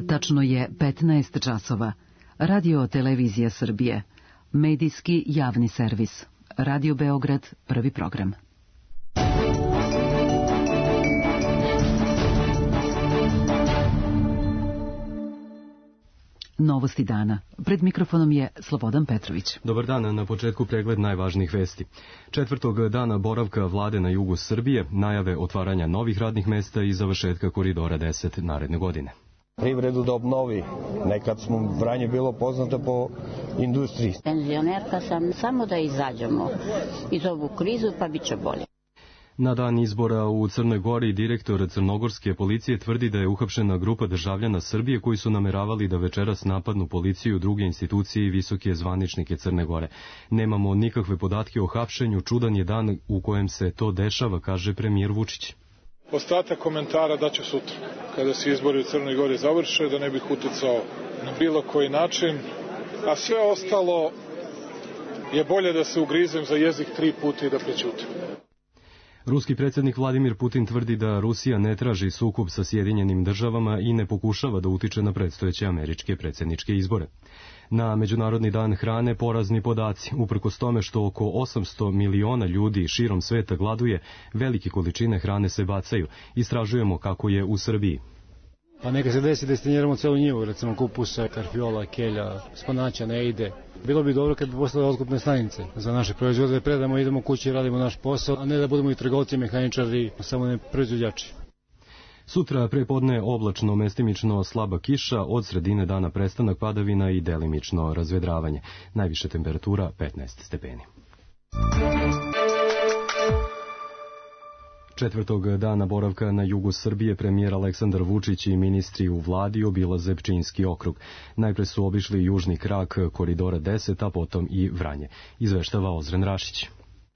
Tačno je 15 časova. Radio Televizija Srbije. Medijski javni servis. Radio Beograd, prvi program. Novosti dana. Pred mikrofonom je Slobodan Petrović. Dobar dan, na početku pregled najvažnijih vesti. Četvrtog dana boravka vlade na jugu Srbije, najave otvaranja novih radnih mesta i završetka koridora 10 naredne godine. Privredu da obnovi. Nekad smo Vranje bilo poznato po industriji. Penzionerka sam, samo da izađemo iz ovu krizu pa bit će bolje. Na dan izbora u Crnoj Gori direktor crnogorske policije tvrdi da je uhapšena grupa državljana Srbije koji su nameravali da večeras napadnu policiju, druge institucije i visoke zvaničnike Crne Gore. Nemamo nikakve podatke o hapšenju, čudan je dan u kojem se to dešava, kaže premijer Vučić. Ostatak komentara daću sutra, kada se izbori u Crnoj Gori završe, da ne bih uticao na bilo koji način, a sve ostalo je bolje da se ugrizem za jezik 3 puta i da prećutim. Ruski predsjednik Vladimir Putin tvrdi da Rusija ne traži sukob sa Sjedinjenim državama i ne pokušava da utiče na predstojeće američke predsjedničke izbore. Na Međunarodni dan hrane porazni podaci. Uprkos tome što oko 800 miliona ljudi širom sveta gladuje, velike količine hrane se bacaju. Istražujemo kako je u Srbiji. Pa neka se desi da destiniramo celu njivu, recimo kupusa, karfiola, kelja, spanaća, ne ide. Bilo bi dobro kad bi poslali otkupne stanice za naše proizvode, predamo, idemo kući i radimo naš posao, a ne da budemo i trgovci, mehaničari, samo ne proizvođači. Sutra prepodne oblačno, mestimično slaba kiša, od sredine dana prestanak padavina i delimično razvedravanje. Najviše temperatura 15 stepeni. Četvrtog dana boravka na jugu Srbije premijer Aleksandar Vučić i ministri u vladi obilaze Pčinjski okrug. Najpre su obišli južni krak koridora 10, a potom i Vranje. Izveštava Ozren Rašić.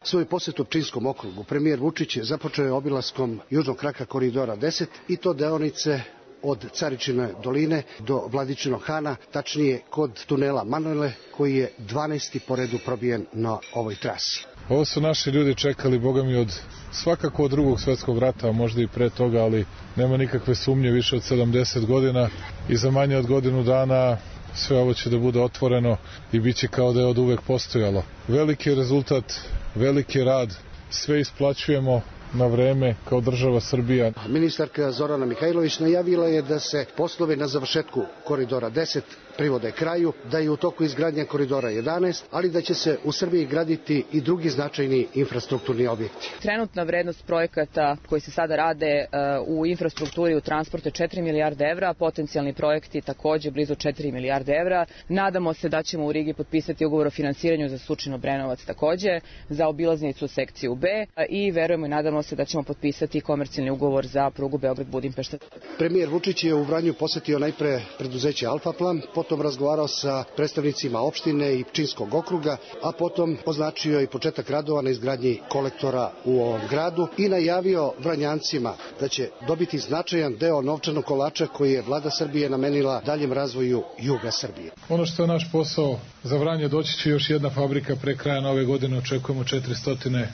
Svoj posjet u Pčinjskom okrugu premijer Vučić započeo je obilaskom južnog kraka koridora 10 i to deonice od Caričine doline do Vladičinog Hana, tačnije kod tunela Manojle, koji je 12. po redu probijen na ovoj trasi. Ovo su naši ljudi čekali, Boga mi, svakako od Drugog svjetskog rata, a možda i pre toga, ali nema nikakve sumnje, više od 70 godina i za manje od godinu dana sve ovo će da bude otvoreno i bit će kao da je od uvek postojalo. Veliki rezultat, veliki rad, sve isplaćujemo na vreme kao država Srbija. Ministarka Zorana Mihajlović najavila je da se poslovi na završetku koridora 10 privode kraju, da je u toku izgradnja koridora 11, ali da će se u Srbiji graditi i drugi značajni infrastrukturni objekti. Trenutna vrednost projekata koji se sada rade u infrastrukturi u transportu je 4 milijarde evra, potencijalni projekti takođe blizu 4 milijarde evra. Nadamo se da ćemo u Rigi potpisati ugovor o finansiranju za Surčin-Obrenovac takođe, za obilaznicu sekciju B i verujemo i nadamo se da ćemo potpisati komercijalni ugovor za prugu Beograd-Budimpešta. Premijer Vučić je u Vranju posetio najpre preduzeće Alfa Plan, potom razgovarao sa predstavnicima opštine i Pčinjskog okruga, a potom označio i početak radova na izgradnji kolektora u ovom gradu i najavio Vranjancima da će dobiti značajan deo novčanog kolača koji je vlada Srbije namenila daljem razvoju juga Srbije. Ono što je naš posao za Vranje, doći će još jedna fabrika pre kraja nove godine, očekujemo 400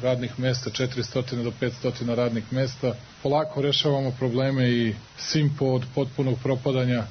radnih mesta, 400 do 500 radnih mesta. Polako rešavamo probleme i Simpo od potpunog propadanja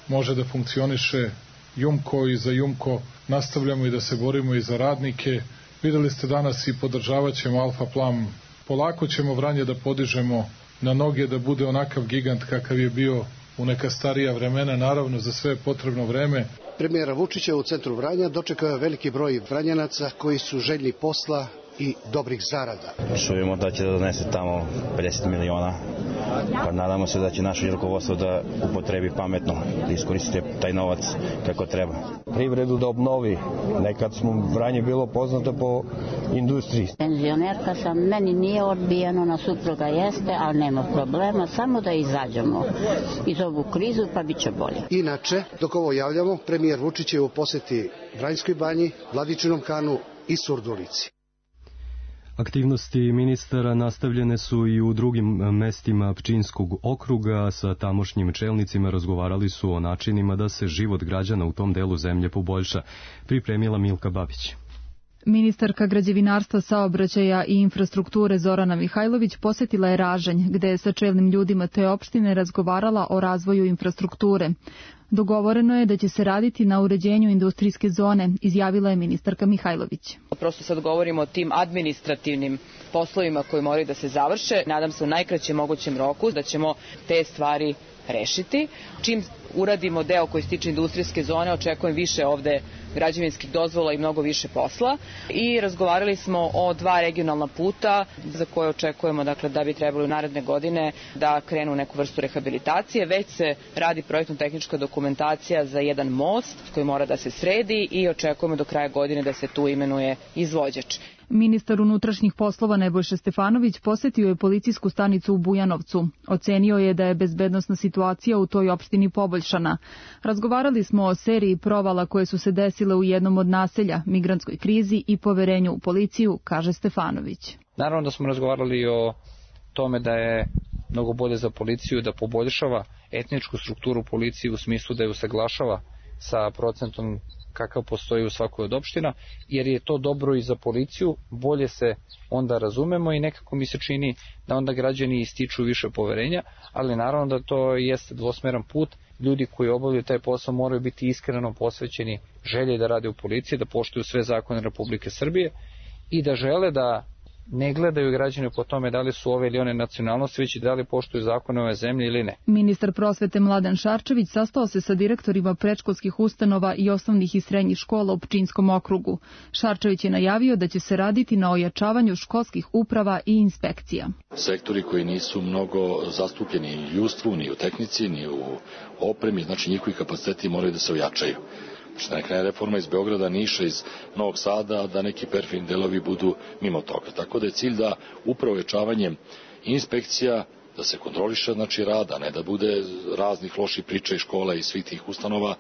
može da funkcioniše, Jumko i za Jumko nastavljamo i da se borimo i za radnike. Videli ste danas i podržavat ćemo Alfa Plan. Polako ćemo Vranje da podižemo na noge, da bude onakav gigant kakav je bio u neka starija vremena, naravno za sve potrebno vreme. Premijera Vučića u centru Vranja dočekao je veliki broj Vranjanaca koji su željni posla i dobrih zarada. Čujemo da će da donese tamo 50 miliona, pa nadamo se da će naše rukovodstvo da upotrebi pametno, da iskoristite taj novac kako treba. Privredu da obnovi. Nekad smo Vranje bilo poznato po industriji. Penzionerka sam, meni nije odbijeno, na supruga jeste, ali nema problema, samo da izađemo iz ovu krizu pa bit će bolje. Inače, dok ovo javljamo, premijer Vučić je u poseti Vranjskoj banji, Vladičinom Hanu i Surdulici. Aktivnosti ministara nastavljene su i u drugim mestima Pčinjskog okruga. Sa tamošnjim čelnicima razgovarali su o načinima da se život građana u tom delu zemlje poboljša, pripremila Milka Babić. Ministarka građevinarstva, saobraćaja i infrastrukture Zorana Mihajlović posjetila je Ražanj, gde je sa čelnim ljudima te opštine razgovarala o razvoju infrastrukture. Dogovoreno je da će se raditi na uređenju industrijske zone, izjavila je ministarka Mihajlović. Prosto sad govorimo o tim administrativnim poslovima koji moraju da se završe. Nadam se u najkraćem mogućem roku da ćemo te stvari rešiti. Čim uradimo deo koji se tiče industrijske zone, očekujem više ovde građevinskih dozvola i mnogo više posla. I razgovarali smo o 2 regionalna puta za koje očekujemo da bi trebalo u naredne godine da krenu neku vrstu rehabilitacije. Već se radi projektno-tehnička dokumentacija za jedan most koji mora da se sredi i očekujemo do kraja godine da se tu imenuje izvođač. Ministar unutrašnjih poslova Nebojša Stefanović posjetio je policijsku stanicu u Bujanovcu. Ocenio je da je bezbednosna situacija u toj opštini poboljšana. Razgovarali smo o seriji provala koje su se desile u jednom od naselja, migrantskoj krizi i poverenju u policiju, kaže Stefanović. Naravno da smo razgovarali o tome da je mnogo bolje za policiju da poboljšava etničku strukturu policije u smislu da je usaglašava sa procentom kakav postoji u svakoj od opština, jer je to dobro i za policiju, bolje se onda razumemo i nekako mi se čini da onda građani ističu više poverenja, ali naravno da to jeste dvosmeran put. Ljudi koji obavljaju taj posao moraju biti iskreno posvećeni želje da rade u policiji, da poštuju sve zakone Republike Srbije i da žele da ne gledaju građane po tome da li su ove ili one nacionalnosti, već i da li poštuju zakone ove zemlje ili ne. Ministar prosvete Mladen Šarčević sastao se sa direktorima predškolskih ustanova i osnovnih i srednjih škola u Pčinjskom okrugu. Šarčević je najavio da će se raditi na ojačavanju školskih uprava i inspekcija. Sektori koji nisu mnogo zastupljeni ni u ljudstvu, ni u tehnici, ni u opremi, znači njihovi kapaciteti moraju da se ojačaju. Da ne krene reforma iz Beograda, Niša, iz Novog Sada, da neki perfidni delovi budu mimo toga. Tako da je cilj da upravo ojačavanjem inspekcija da se kontroliše rad, a ne da bude raznih loših priča iz škola i svih tih ustanova,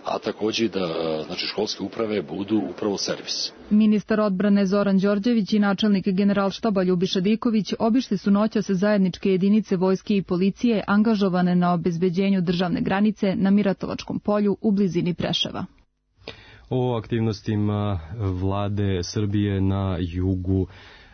a takođe da školske uprave budu upravo servis. Ministar odbrane Zoran Đorđević i načelnik Generalštaba Ljubiša Diković obišli su noćas zajedničke jedinice vojske i policije angažovane na obezbeđenju državne granice na Miratovačkom polju u blizini Preševa. O aktivnostima vlade Srbije na jugu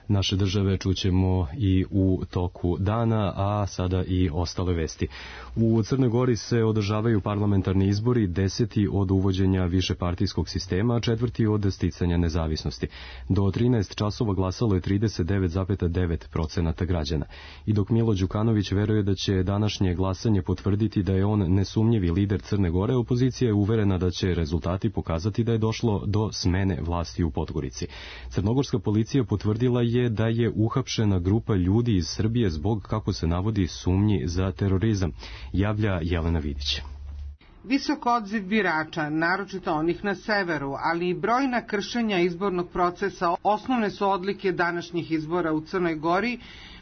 naše države čućemo i u toku dana, a sada i ostale vesti. U Crnoj Gori se održavaju parlamentarni izbori, 10. od uvođenja višepartijskog sistema, a 4. od sticanja nezavisnosti. Do 13 časova glasalo je 39,9% građana. I dok Milo Đukanović veruje da će današnje glasanje potvrditi da je on nesumnjivi lider Crne Gore, opozicija je uverena da će rezultati pokazati da je došlo do smene vlasti u Podgorici. Crnogorska policija potvrdila je da je uhapšena grupa ljudi iz Srbije zbog, kako se navodi, sumnji za terorizam, javlja Jelena Vidić. Visok odziv birača, naročito onih na severu, ali i brojna kršenja izbornog procesa osnovne su odlike današnjih izbora u Crnoj Gori,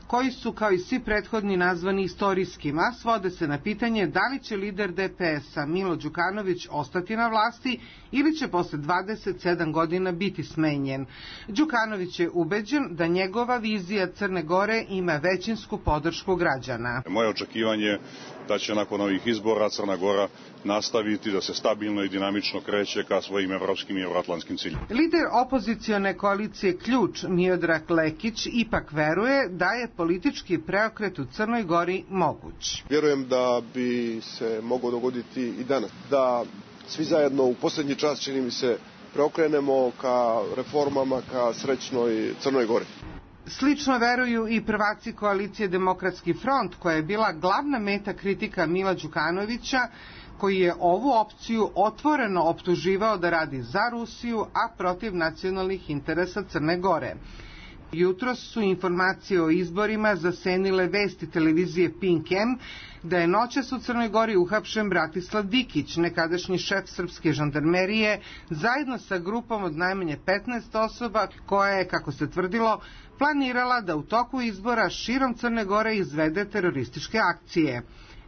koji su kao i svi prethodni nazvani istorijskim, a svode se na pitanje da li će lider DPS-a Milo Đukanović ostati na vlasti ili će posle 27 godina biti smenjen. Đukanović je ubeđen da njegova vizija Crne Gore ima većinsku podršku građana. Moje očekivanje je da će nakon ovih izbora Crna Gora nastaviti da se stabilno i dinamično kreće ka svojim evropskim i evroatlantskim ciljima. Lider opozicione koalicije Ključ, Miodrag Lekić, ipak veruje da je politički preokret u Crnoj Gori moguć. Vjerujem da bi se moglo dogoditi i danas, da svi zajedno u posljednji čas, čini mi se, preokrenemo ka reformama, ka srećnoj Crnoj Gori. Slično veruju i prvaci koalicije Demokratski front, koja je bila glavna meta kritika Mila Đukanovića, koji je ovu opciju otvoreno optuživao da radi za Rusiju, a protiv nacionalnih interesa Crne Gore. Jutros su informacije o izborima zasenile vesti televizije Pink M da je noćas u Crnoj Gori uhapšen Bratislav Dikić, nekadašnji šef srpske žandarmerije, zajedno sa grupom od najmanje 15 osoba koja je, kako se tvrdilo, planirala da u toku izbora širom Crne Gore izvede terorističke akcije.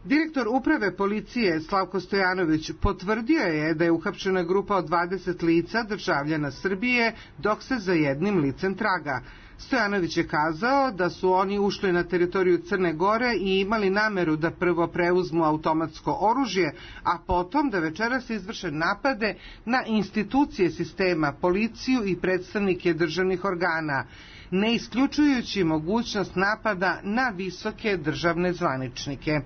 Direktor uprave policije Slavko Stojanović potvrdio je da je uhapšena grupa od 20 lica državljana Srbije, dok se za jednim licem traga. Stojanović je kazao da su oni ušli na teritoriju Crne Gore i imali nameru da prvo preuzmu automatsko oružje, a potom da večeras izvrše napade na institucije sistema, policiju i predstavnike državnih organa, ne isključujući mogućnost napada na visoke državne zvaničnike.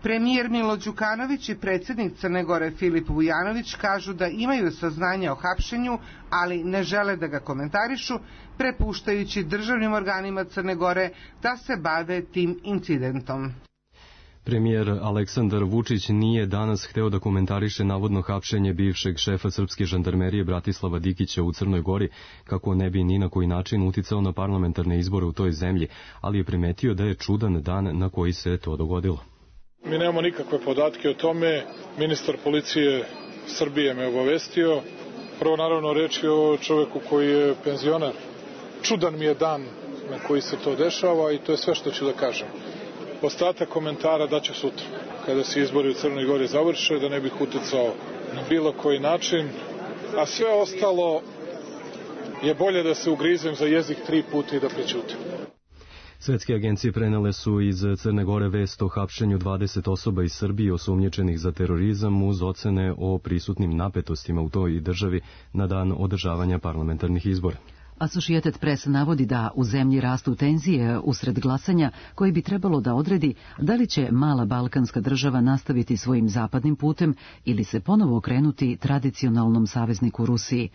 Premijer Milo Đukanović i predsjednik Crne Gore Filip Vujanović kažu da imaju saznanja o hapšenju, ali ne žele da ga komentarišu, prepuštajući državnim organima Crne Gore da se bave tim incidentom. Premijer Aleksandar Vučić nije danas hteo da komentariše navodno hapšenje bivšeg šefa srpske žandarmerije Bratislava Dikića u Crnoj Gori, kako ne bi ni na koji način uticao na parlamentarne izbore u toj zemlji, ali je primetio da je čudan dan na koji se to dogodilo. Mi nemamo nikakve podatke o tome. Ministar policije Srbije me obavestio. Prvo, naravno, reč je o čoveku koji je penzioner. Čudan mi je dan na koji se to dešava i to je sve što ću da kažem. Ostatak komentara daću sutra, kada se izbori u Crnoj Gori završe, da ne bih uticao na bilo koji način. A sve ostalo je bolje da se ugrizem za jezik 3 puta i da prećutim. Svetske agencije prenele su iz Crne Gore vest o hapšenju 20 osoba iz Srbije osumnjičenih za terorizam uz ocene o prisutnim napetostima u toj državi na dan održavanja parlamentarnih izbora. Associated Press navodi da u zemlji rastu tenzije usred glasanja koji bi trebalo da odredi da li će mala balkanska država nastaviti svojim zapadnim putem ili se ponovo okrenuti tradicionalnom savezniku Rusiji.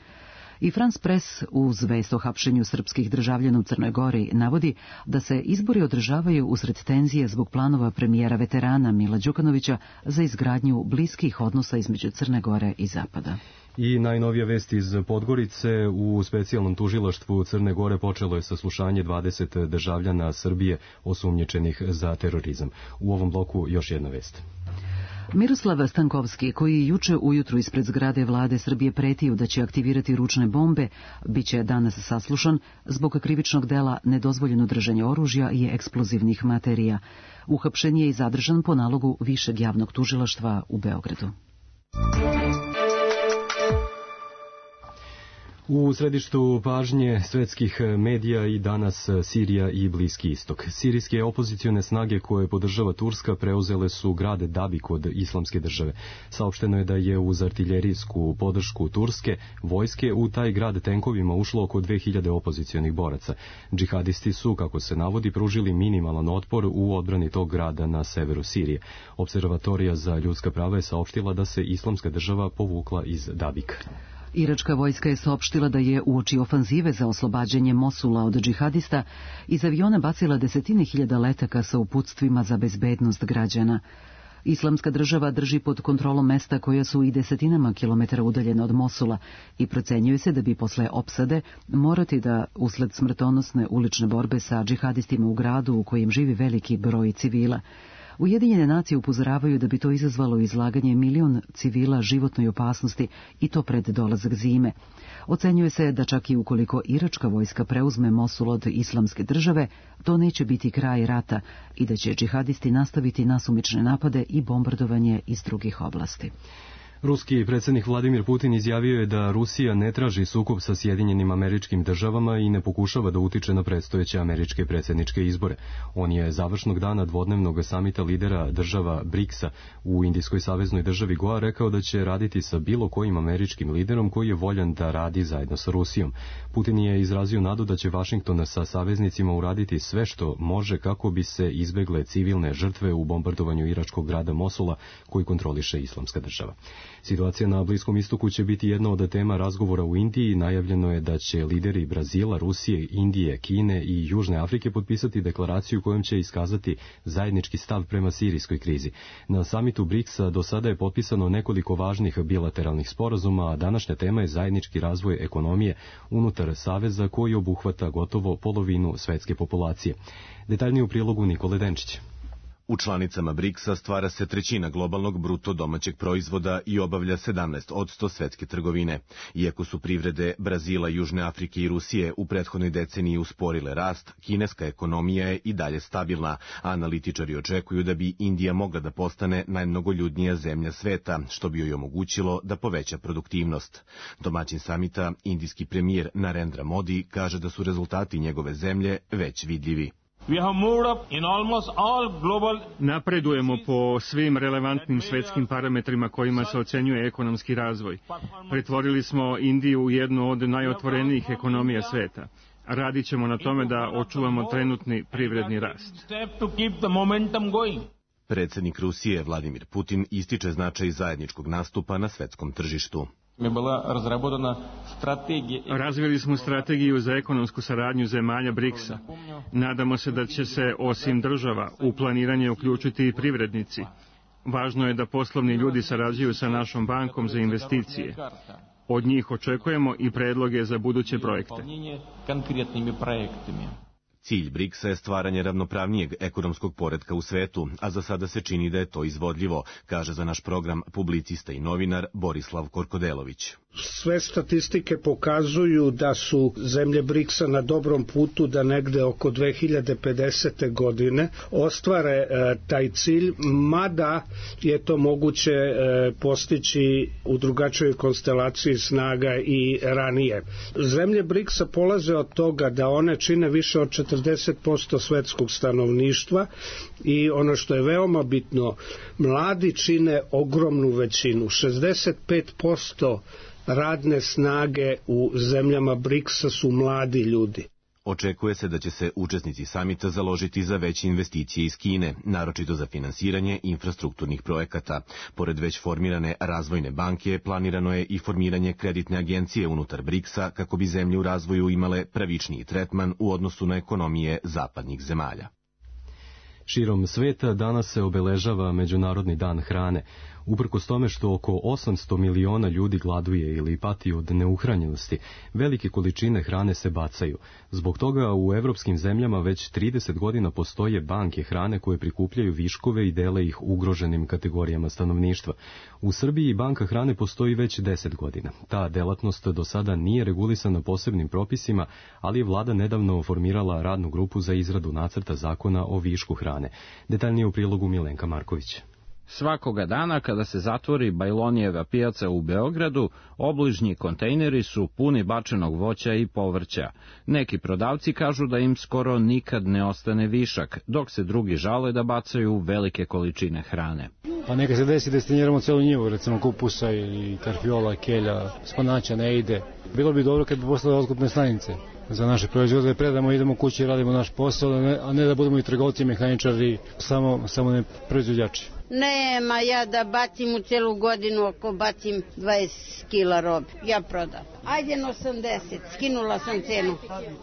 I France Press uz vest o hapšenju srpskih državljana u Crnoj Gori navodi da se izbori održavaju usred tenzije zbog planova premijera veterana Mila Đukanovića za izgradnju bliskih odnosa između Crne Gore i Zapada. I najnovija vest iz Podgorice, u specijalnom tužilaštvu Crne Gore počelo je saslušanje 20 državljana Srbije osumnjičenih za terorizam. U ovom bloku još jedna vest. Miroslav Stankovski, koji juče ujutru ispred zgrade vlade Srbije pretio da će aktivirati ručne bombe, biće danas saslušan zbog krivičnog dela nedozvoljeno držanje oružja i eksplozivnih materija. Uhapšen je i zadržan po nalogu Višeg javnog tužilaštva u Beogradu. U središtu pažnje svetskih medija i danas Sirija i Bliski istok. Sirijske opozicione snage koje podržava Turska preuzele su grad Dabik od Islamske države. Saopšteno je da je uz artiljerijsku podršku Turske vojske u taj grad tenkovima ušlo oko 2000 opozicionih boraca. Džihadisti su, kako se navodi, pružili minimalan otpor u odbrani tog grada na severu Sirije. Observatorija za ljudska prava je saopštila da se Islamska država povukla iz Dabika. Iračka vojska je saopštila da je uoči ofanzive za oslobađanje Mosula od džihadista iz aviona bacila desetine hiljada letaka sa uputstvima za bezbednost građana. Islamska država drži pod kontrolom mesta koja su i desetinama kilometara udaljena od Mosula i procenjuje se da bi posle opsade morati da, usled smrtonosne ulične borbe sa džihadistima u gradu u kojem živi veliki broj civila, Ujedinjene nacije upozoravaju da bi to izazvalo izlaganje milion civila životnoj opasnosti i to pred dolazak zime. Ocenjuje se da čak i ukoliko iračka vojska preuzme Mosul od Islamske države, to neće biti kraj rata i da će džihadisti nastaviti nasumične napade i bombardovanje iz drugih oblasti. Ruski predsjednik Vladimir Putin izjavio je da Rusija ne traži sukob sa Sjedinjenim Američkim Državama i ne pokušava da utiče na predstojeće američke predsjedničke izbore. On je završnog dana dvodnevnog samita lidera država BRICS-a u Indijskoj saveznoj državi Goa rekao da će raditi sa bilo kojim američkim liderom koji je voljan da radi zajedno sa Rusijom. Putin je izrazio nadu da će Vašington sa saveznicima uraditi sve što može kako bi se izbegle civilne žrtve u bombardovanju iračkog grada Mosula koji kontroliše Islamska država. Situacija na Bliskom istoku će biti jedna od tema razgovora u Indiji. Najavljeno je da će lideri Brazila, Rusije, Indije, Kine i Južne Afrike potpisati deklaraciju kojom će iskazati zajednički stav prema sirijskoj krizi. Na samitu BRICS-a do sada je potpisano nekoliko važnih bilateralnih sporazuma, a današnja tema je zajednički razvoj ekonomije unutar saveza koji obuhvata gotovo polovinu svetske populacije. Detaljnije u prilogu Nikole Denčića. U članicama BRICS-a stvara se trećina globalnog bruto domaćeg proizvoda i obavlja 17% svetske trgovine. Iako su privrede Brazila, Južne Afrike i Rusije u prethodnoj deceniji usporile rast, kineska ekonomija je i dalje stabilna, a analitičari očekuju da bi Indija mogla da postane najmnogoljudnija zemlja sveta, što bi joj omogućilo da poveća produktivnost. Domaćin samita, indijski premijer Narendra Modi, kaže da su rezultati njegove zemlje već vidljivi. Napredujemo po svim relevantnim svetskim parametrima kojima se ocenjuje ekonomski razvoj. Pretvorili smo Indiju u jednu od najotvorenijih ekonomija sveta. Radit ćemo na tome da očuvamo trenutni privredni rast. Predsjednik Rusije Vladimir Putin ističe značaj zajedničkog nastupa na svetskom tržištu. Razvili smo strategiju za ekonomsku saradnju zemalja BRICS-a. Nadamo se da će se, osim država, u planiranje uključiti i privrednici. Važno je da poslovni ljudi sarađuju sa našom bankom za investicije. Od njih očekujemo i predloge za buduće projekte. Cilj BRICS-a je stvaranje ravnopravnijeg ekonomskog poretka u svetu, a za sada se čini da je to izvodljivo, kaže za naš program publicista i novinar Borislav Korkodelović. Sve statistike pokazuju da su zemlje BRICS-a na dobrom putu da negde oko 2050. godine ostvare taj cilj, mada je to moguće postići u drugačijoj konstelaciji snaga i ranije. Zemlje BRICS-a polaze od toga da one čine više od 40% svetskog stanovništva i ono što je veoma bitno, mladi čine ogromnu većinu, 65% radne snage u zemljama BRICS-a su mladi ljudi. Očekuje se da će se učesnici samita založiti za veće investicije iz Kine, naročito za finansiranje infrastrukturnih projekata. Pored već formirane razvojne banke, planirano je i formiranje kreditne agencije unutar BRICS-a kako bi zemlje u razvoju imale pravičniji tretman u odnosu na ekonomije zapadnih zemalja. Širom sveta danas se obeležava Međunarodni dan hrane. Uprkos tome što oko 800 miliona ljudi gladuje ili pati od neuhranjenosti, velike količine hrane se bacaju. Zbog toga u evropskim zemljama već 30 godina postoje banke hrane koje prikupljaju viškove i dele ih ugroženim kategorijama stanovništva. U Srbiji banka hrane postoji već 10 godina. Ta delatnost do sada nije regulisana posebnim propisima, ali je vlada nedavno formirala radnu grupu za izradu nacrta zakona o višku hrane. Detaljnije u prilogu Milenka Marković. Svakoga dana kada se zatvori Bajlonijeva pijaca u Beogradu, obližnji kontejneri su puni bačenog voća i povrća. Neki prodavci kažu da im skoro nikad ne ostane višak, dok se drugi žale da bacaju velike količine hrane. Pa neka se desi da stenjeramo celu njivu, recimo kupusa i karfiola, kelja, spanaća ne ide. Bilo bi dobro kad bi poslali otkupne stanice za naše proizvode, predamo, idemo kući, radimo naš posao, a ne da budemo i trgovci, mehaničari, samo ne proizvođači. Nema ja da bacim u celu godinu, ako bacim 20 kila robe, ja prodam. Ajde na 80, skinula sam cenu.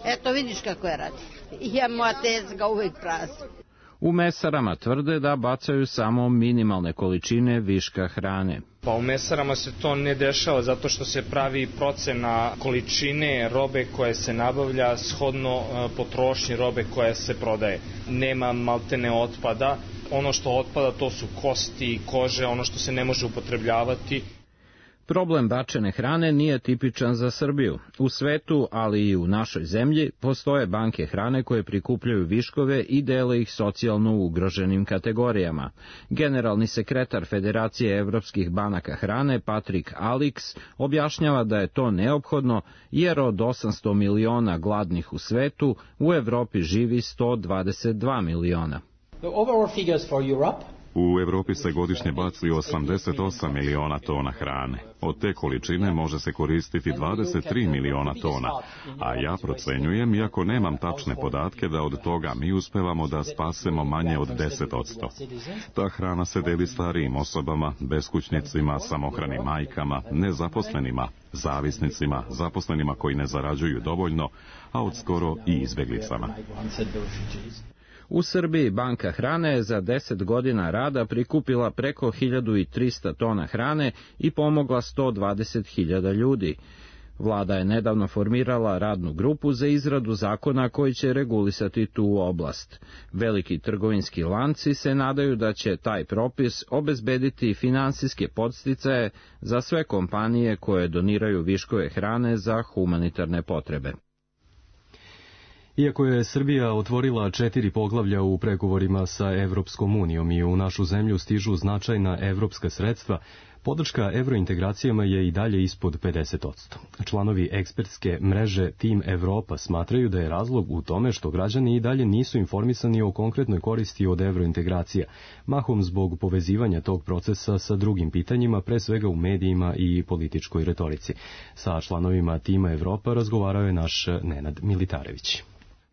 Eto vidiš kako je radi. Ja moja tezga uvek prazna. U mesarama tvrde da bacaju samo minimalne količine viška hrane. Pa u mesarama se to ne dešava zato što se pravi procena količine robe koje se nabavlja shodno potrošnji robe koja se prodaje. Nema maltene otpada. Ono što otpada to su kosti, kože, ono što se ne može upotrebljavati. Problem bačene hrane nije tipičan za Srbiju. U svetu, ali i u našoj zemlji, postoje banke hrane koje prikupljaju viškove i dele ih socijalno ugroženim kategorijama. Generalni sekretar Federacije evropskih banaka hrane, Patrik Alix, objašnjava da je to neophodno jer od 800 miliona gladnih u svetu, u Evropi živi 122 miliona. U Evropi se godišnje baci 88 miliona tona hrane. Od te količine može se koristiti 23 miliona tona, a ja procenjujem, iako nemam tačne podatke, da od toga mi uspevamo da spasemo manje od 10%. Ta hrana se deli starijim osobama, beskućnicima, samohranim majkama, nezaposlenima, zavisnicima, zaposlenima koji ne zarađuju dovoljno, a od skoro i izbeglicama. U Srbiji banka hrane je za 10 godina rada prikupila preko 1300 tona hrane i pomogla 120.000 ljudi. Vlada je nedavno formirala radnu grupu za izradu zakona koji će regulisati tu oblast. Veliki trgovinski lanci se nadaju da će taj propis obezbediti finansijske podsticaje za sve kompanije koje doniraju viškove hrane za humanitarne potrebe. Iako je Srbija otvorila 4 poglavlja u pregovorima sa Evropskom unijom i u našu zemlju stižu značajna evropska sredstva, podrška evrointegracijama je i dalje ispod 50%. Članovi ekspertske mreže Team Evropa smatraju da je razlog u tome što građani i dalje nisu informisani o konkretnoj koristi od evrointegracija, mahom zbog povezivanja tog procesa sa drugim pitanjima, pre svega u medijima i političkoj retorici. Sa članovima Tima Evropa razgovarao je naš Nenad Militarević.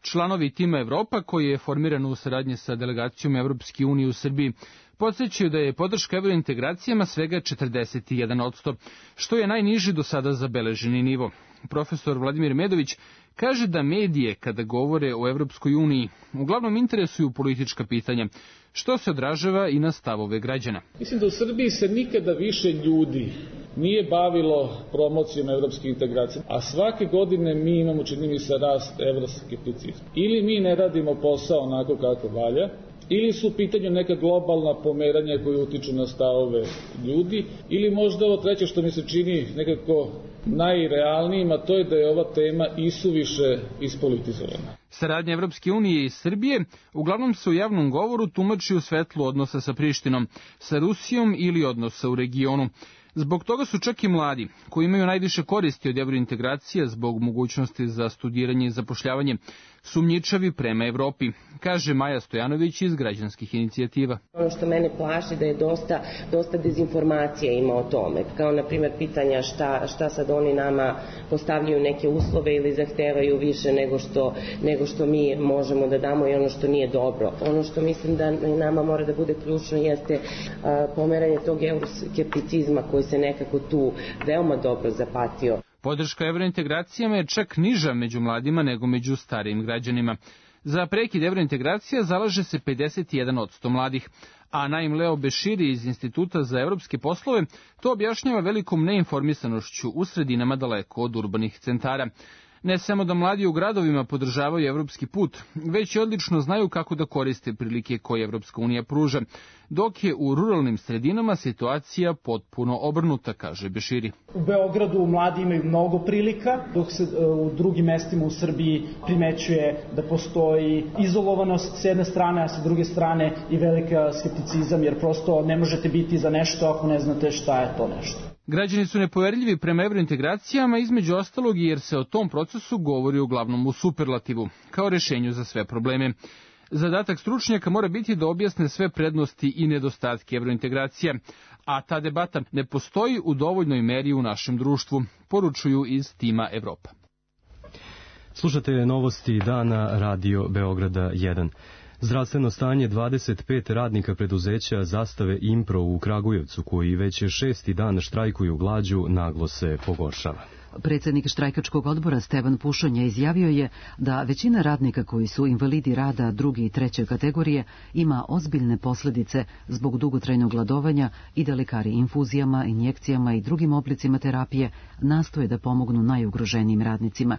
Članovi Tima Evropa, koji je formiran u saradnji sa delegacijom Evropske unije u Srbiji, podsjećaju da je podrška evrointegracijama svega 41%, što je najniži do sada zabeleženi nivo. Profesor Vladimir Medović kaže da medije, kada govore o Evropskoj uniji, uglavnom interesuju politička pitanja, što se odražava i na stavove građana. Mislim da u Srbiji se nikada više ljudi nije bavilo promocijom evropske integracije, a svake godine mi imamo, čini mi se, rast evroskepticizma. Ili mi ne radimo posao onako kako valja, ili su u pitanju neka globalna pomeranja koje utiču na stavove ljudi, ili možda ovo treće što mi se čini nekako najrealnijim, a to je da je ova tema isuviše ispolitizovana. Saradnja Evropske unije i Srbije uglavnom se u javnom govoru tumači u svetlu odnosa sa Prištinom, sa Rusijom ili odnosa u regionu. Zbog toga su čak i mladi, koji imaju najviše koristi od evrointegracija zbog mogućnosti za studiranje i zapošljavanje, sumnjičavi prema Evropi, kaže Maja Stojanović iz građanskih inicijativa. Ono što mene plaši da je dosta dezinformacija ima o tome, kao na primjer pitanja šta sad oni nama postavljaju neke uslove ili zahtevaju više nego što mi možemo da damo i ono što nije dobro. Ono što mislim da nama mora da bude ključno jeste pomeranje tog euroskepticizma koji se nekako tu veoma dobro zapatio. Podrška evrointegracijama je čak niža među mladima nego među starijim građanima. Za prekid evrointegracija zalaže se 51% mladih, a Naim Leo Beširi iz Instituta za evropske poslove to objašnjava velikom neinformisanošću u sredinama daleko od urbanih centara. Ne samo da mladi u gradovima podržavaju evropski put, već i odlično znaju kako da koriste prilike koje Evropska unija pruža, dok je u ruralnim sredinama situacija potpuno obrnuta, kaže Beširi. U Beogradu mladi imaju mnogo prilika, dok se u drugim mestima u Srbiji primećuje da postoji izolovanost s jedne strane, a sa druge strane i velika skepticizam, jer prosto ne možete biti za nešto ako ne znate šta je to nešto. Građani su nepoverljivi prema evrointegracijama, između ostalog jer se o tom procesu govori uglavnom u superlativu, kao rešenju za sve probleme. Zadatak stručnjaka mora biti da objasne sve prednosti i nedostatke evrointegracija, a ta debata ne postoji u dovoljnoj meri u našem društvu, poručuju iz Tima Evropa. Slušate novosti dana Radio Beograda 1. Zdravstveno stanje 25 radnika preduzeća Zastave Impro u Kragujevcu, koji već 6. dan štrajkuju glađu, naglo se pogoršava. Predsjednik štrajkačkog odbora Stevan Pušonja izjavio je da većina radnika koji su invalidi rada 2. i 3. kategorije ima ozbiljne posljedice zbog dugotrajnog gladovanja i da lekari infuzijama, injekcijama i drugim oblicima terapije nastoje da pomognu najugroženijim radnicima.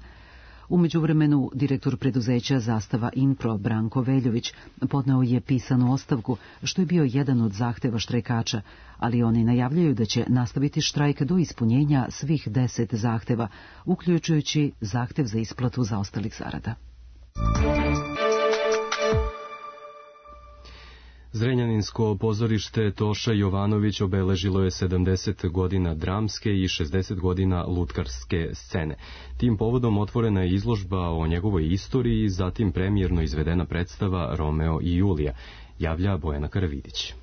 U međuvremenu, direktor preduzeća Zastava Impro Branko Veljović podneo je pisanu ostavku, što je bio jedan od zahteva štrajkača, ali oni najavljaju da će nastaviti štrajk do ispunjenja svih 10 zahteva, uključujući zahtev za isplatu zaostalih zarada. Zrenjaninsko pozorište Toša Jovanović obeležilo je 70 godina dramske i 60 godina lutkarske scene. Tim povodom otvorena je izložba o njegovoj istoriji i zatim premijerno izvedena predstava Romeo i Julija, javlja Bojana Karavidić.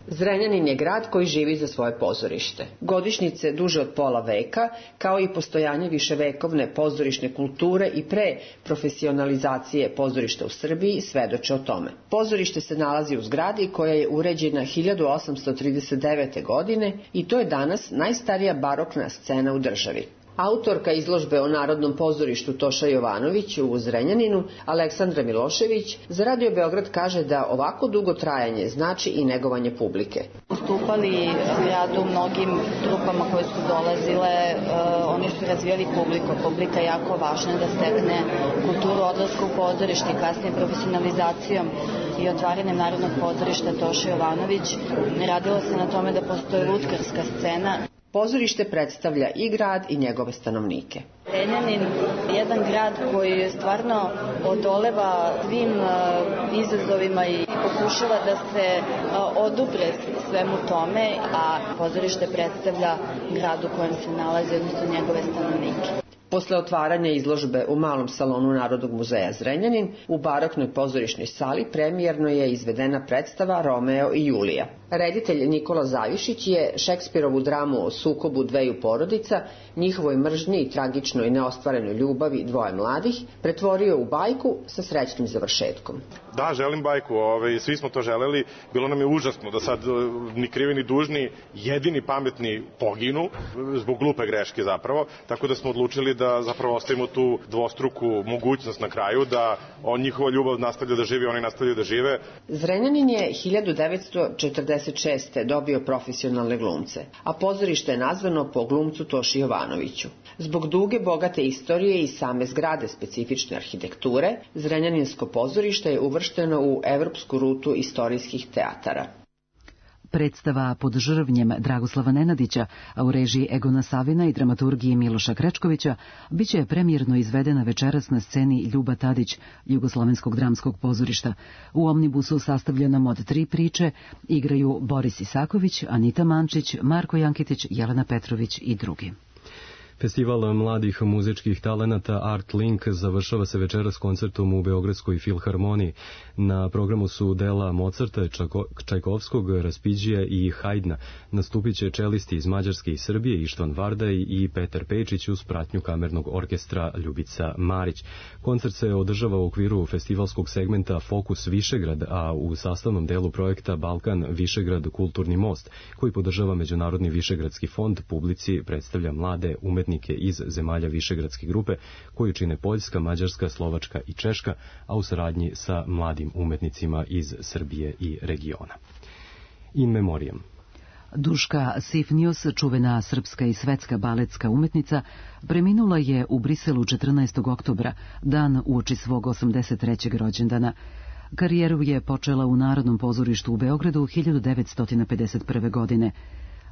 Zrenjanin je grad koji živi za svoje pozorište. Godišnjice duže od pola veka, kao i postojanje viševekovne pozorišne kulture i pre profesionalizacije pozorišta u Srbiji svedoče o tome. Pozorište se nalazi u zgradi koja je uređena 1839. godine i to je danas najstarija barokna scena u državi. Autorka izložbe o Narodnom pozorištu Toša Jovanović u Zrenjaninu, Aleksandra Milošević, za Radio Beograd kaže da ovako dugo trajanje znači i negovanje publike. nastupali gradu u mnogim trupama koje su dolazile, oni su razvijali publiku. Publika je jako važna da stekne kulturu odlaska u pozorište i kasnije profesionalizacijom i otvaranjem Narodnog pozorišta Toša Jovanović. Radilo se na tome da postoji lutkarska scena. Pozorište predstavlja i grad i njegove stanovnike. Zrenjanin je jedan grad koji stvarno odoleva svim izazovima i pokušava da se odupre svemu tome, a pozorište predstavlja grad u kojem se nalazi, odnosno njegove stanovnike. Posle otvaranja izložbe u malom salonu Narodnog muzeja Zrenjanin, u baroknoj pozorišnoj sali premijerno je izvedena predstava Romeo i Julija. Reditelj Nikola Zavišić je Šekspirovu dramu o sukobu dveju porodica, njihovoj mržnji i tragičnoj neostvarenoj ljubavi dvoje mladih, pretvorio u bajku sa srećnim završetkom. Da, želim bajku, svi smo to želeli, bilo nam je užasno da sad ni krivi ni dužni, jedini pametni poginu, zbog glupe greške zapravo, tako da smo odlučili da zapravo ostavimo tu dvostruku mogućnost na kraju, da njihova ljubav nastavlja da živi, oni nastavljaju da žive. Zrenjanin je 1946. dobio profesionalne glumce, a pozorište je nazvano po glumcu Toši Jovanoviću. Zbog duge, bogate istorije i same zgrade specifične arhitekture, Zrenjaninsko pozorište je uvršteno u evropsku rutu istorijskih teatara. Predstava Pod žrvnjem Dragoslava Nenadića, a u režiji Egona Savina i dramaturgiji Miloša Krečkovića, biće premijerno izvedena večeras na sceni Ljuba Tadić, Jugoslovenskog dramskog pozorišta. U omnibusu sastavljenom od 3 priče igraju Boris Isaković, Anita Mančić, Marko Jankitić, Jelena Petrović i drugi. Festival mladih muzičkih talenata Art Link završava se večeras koncertom u Beogradskoj filharmoniji. Na programu su dela Mozarta, Čajkovskog, Raspiđija i Hajdna. Nastupit će čelisti iz Mađarske i Srbije, Ištvan Vardaj i Petar Pejčić uz pratnju kamernog orkestra Ljubica Marić. Koncert se održava u okviru festivalskog segmenta Fokus Višegrad, a u sastavnom delu projekta Balkan Višegrad kulturni most, koji podržava Međunarodni Višegradski fond, publici predstavlja mlade umetnike iz zemalja Višegradske grupe, koju čine Poljska, Mađarska, Slovačka i Češka, a u saradnji sa mladim umetnicima iz Srbije i regiona. In memoriam. Duška Sifnius, čuvena srpska i svetska baletska umetnica, preminula je u Briselu 14. oktobra, dan uoči svog 83. rođendana. Karijeru je počela u Narodnom pozorištu u Beogradu 1951. godine.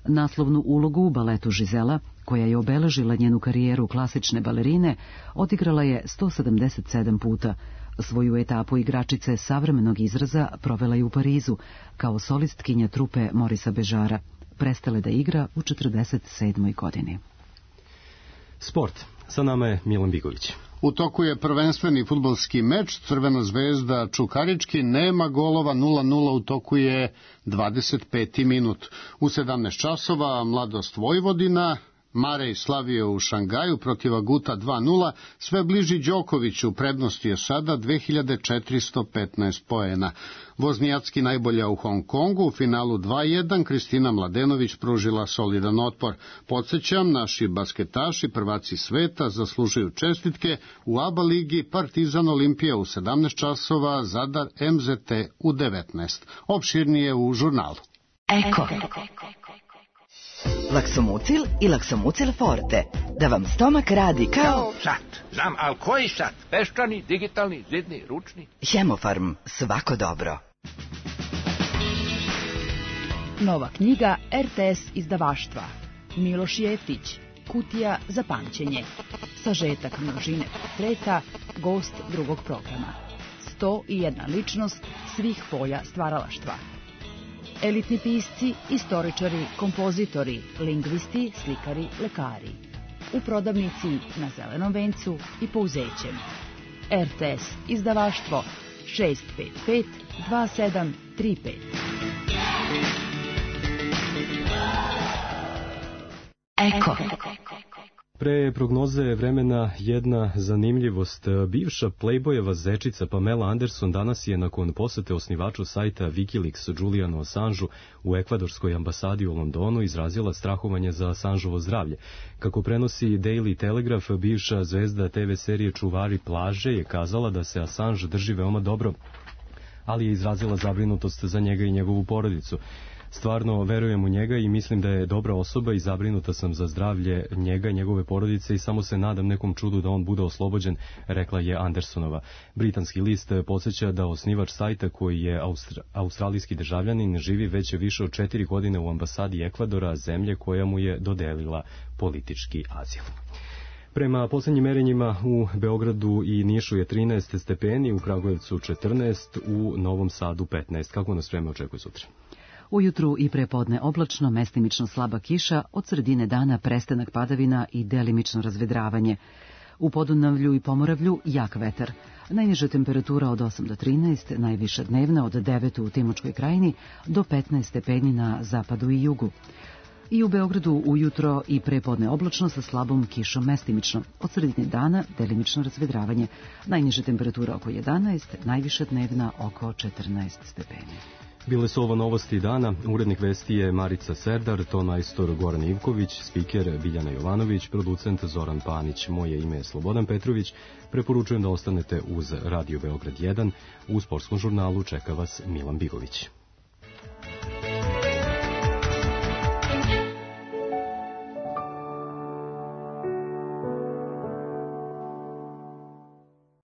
Naslovnu ulogu u baletu Žizela, koja je obeležila njenu karijeru klasične balerine, odigrala je 177 puta. Svoju etapu igračice savremenog izraza provela je u Parizu, kao solistkinja trupe Morisa Bežara. Prestala da igra u 47. godini. Sport. Sa nama je Milan Bigović. U toku je prvenstveni fudbalski meč, Crvena zvezda Čukarički, nema golova, 0-0, u toku je 25. minut. U 17 časova Mladost Vojvodina, Marej slavio u Šangaju protiv Aguta 2-0, sve bliži Đokoviću, prednosti je sada 2415 poena. Voznijacki najbolja u Hong Kongu, u finalu 2-1, Kristina Mladenović pružila solidan otpor. Podsjećam, naši basketaši, prvaci sveta, zaslužuju čestitke u ABA ligi, Partizan Olimpija u 17 časova, Zadar MZT u 19. Opširnije u žurnalu. Eko. Laksomucil i Laksomucil Forte. Da vam stomak radi kao... Sat. Znam, ali koji sat? Peščani, digitalni, zidni, ručni? Hemofarm. Svako dobro. Nova knjiga RTS izdavaštva. Miloš Jeftić. Kutija za pamćenje. Sažetak množine portreta. Gost drugog programa. 101 ličnost svih polja stvaralaštva. Elitni pisci, istoričari, kompozitori, lingvisti, slikari, lekari. U prodavnici na Zelenom vencu i Pouzećem. RTS izdavaštvo 655 2735. Eko. Pre prognoze vremena jedna zanimljivost. Bivša Playboyeva zečica Pamela Anderson danas je nakon posete osnivaču sajta Wikileaks Julianu Assangeu u ekvadorskoj ambasadi u Londonu izrazila strahovanje za Assangeovo zdravlje. Kako prenosi Daily Telegraph, bivša zvezda TV serije Čuvari plaže je kazala da se Assange drži veoma dobro, ali je izrazila zabrinutost za njega i njegovu porodicu. Stvarno verujem u njega i mislim da je dobra osoba i zabrinuta sam za zdravlje njega i njegove porodice i samo se nadam nekom čudu da on bude oslobođen, rekla je Andersonova. Britanski list podsjeća da osnivač sajta, koji je australijski državljanin, živi već više od 4 godine u ambasadi Ekvadora, zemlje koja mu je dodelila politički azil. Prema poslednjim merenjima u Beogradu i Nišu je 13 stepeni, u Kragujevcu 14, u Novom Sadu 15. Kako nas vreme očekuje sutra? Ujutru i prepodne oblačno, mestimično slaba kiša, od sredine dana prestanak padavina i delimično razvedravanje. U Podunavlju i Pomoravlju jak vetar. Najniža temperatura od 8 do 13, najviša dnevna od 9 u Timočkoj krajini do 15 stepeni na zapadu i jugu. I u Beogradu ujutro i prepodne oblačno sa slabom kišom mestimično. Od sredine dana delimično razvedravanje. Najniža temperatura oko 11, najviša dnevna oko 14 stepeni. Bile su ovo novosti dana. Urednik vesti je Marica Serdar, tonmajstor Goran Ivković, spiker Biljana Jovanović, producent Zoran Panić. Moje ime je Slobodan Petrović. Preporučujem da ostanete uz Radio Beograd 1. U sportskom žurnalu čeka vas Milan Bigović.